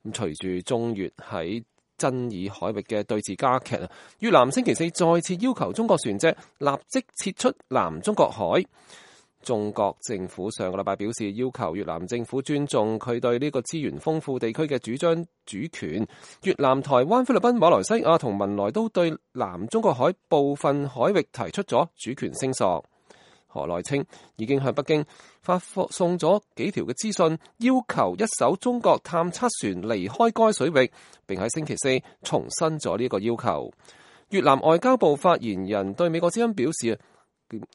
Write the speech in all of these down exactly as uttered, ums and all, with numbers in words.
咁隨住中越喺爭議海域嘅對峙加劇，越南星期四再次要求中國船隻立即撤出南中國海。中國政府上個禮拜表示，要求越南政府尊重佢對呢個資源豐富地區嘅主張主權。越南、台灣、菲律賓、馬來西亞同文萊都對南中國海部分海域提出咗主權聲索。河內稱已經向北京發送咗幾條嘅資訊，要求一艘中國探測船離開該水域，並喺星期四重申咗呢個要求。越南外交部發言人對美國之音表示，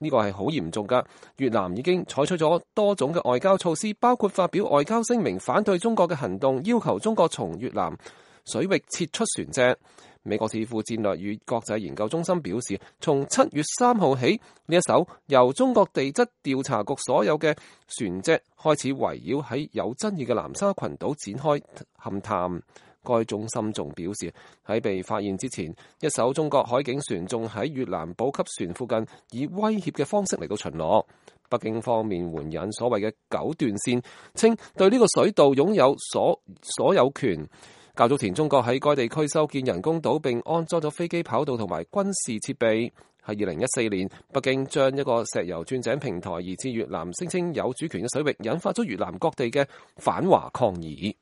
呢個係好嚴重㗎。越南已經採取咗多種嘅外交措施，包括發表外交聲明反對中國嘅行動，要求中國從越南水域撤出船隻。美國智庫戰略與國際研究中心表示，從七月三號起，呢一艘由中國地質調查局所有嘅船隻開始圍繞喺有爭議嘅南沙群島展開勘探。該中心仲表示，喺被發現之前，一艘中國海警船仲喺越南補給船附近以威脅嘅方式嚟到巡邏。北京方面援引所謂嘅九段線，稱對呢個水道擁有所所有權。較早前，中國喺該地區修建人工島並安裝咗飛機跑道同埋軍事設備。喺二零一四年，北京將一個石油鑽井平台移至越南，聲稱有主權嘅水域，引發咗越南各地嘅反華抗議。